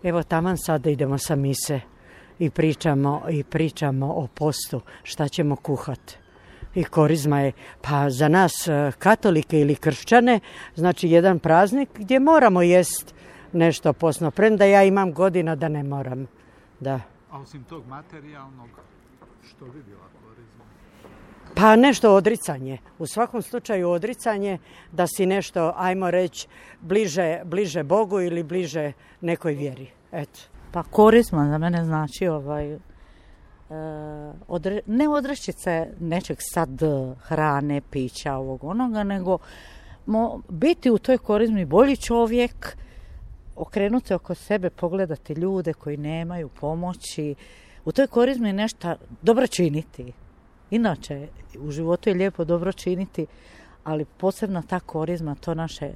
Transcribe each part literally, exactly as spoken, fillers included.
Evo taman sada idemo sa mise i pričamo, i pričamo o postu, šta ćemo kuhati. I korizma je, pa za nas katolike ili kršćane, znači jedan praznik gdje moramo jest nešto posno, premda ja imam godina da ne moram. Da. A osim tog materijalnog, što bi bila korizma? Pa nešto odricanje. U svakom slučaju odricanje da si nešto, ajmo reći, bliže, bliže Bogu ili bliže nekoj vjeri. Eto. Pa korizma za mene znači ovaj, e, odre, ne odreći se nečeg sad hrane, pića, ovog onoga, nego mo, biti u toj korizmi bolji čovjek, okrenuti oko sebe, pogledati ljude koji nemaju pomoći. U toj korizmi nešto dobro činiti. Inače, u životu je lijepo dobro činiti, ali posebno ta korizma, to naše,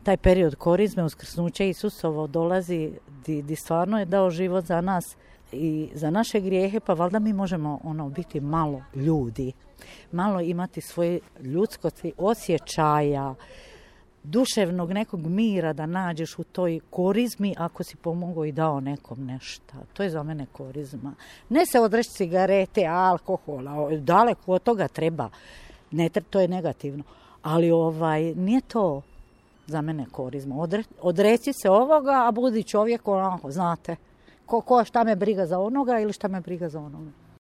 taj period korizme, uskrsnuće Isusovo dolazi di, di stvarno je dao život za nas i za naše grijehe, pa valjda mi možemo ono biti malo ljudi, malo imati svoje ljudskosti, osjećaja, duševnog nekog mira da nađeš u toj korizmi ako si pomogao i dao nekom nešto. To je za mene korizma. Ne se odreći cigarete, alkohola, daleko od toga treba. Ne, to je negativno. Ali ovaj, nije to za mene korizma. Odre, odreci se ovoga, a budi čovjek onako, znate. Ko, ko šta me briga za onoga ili šta me briga za onoga.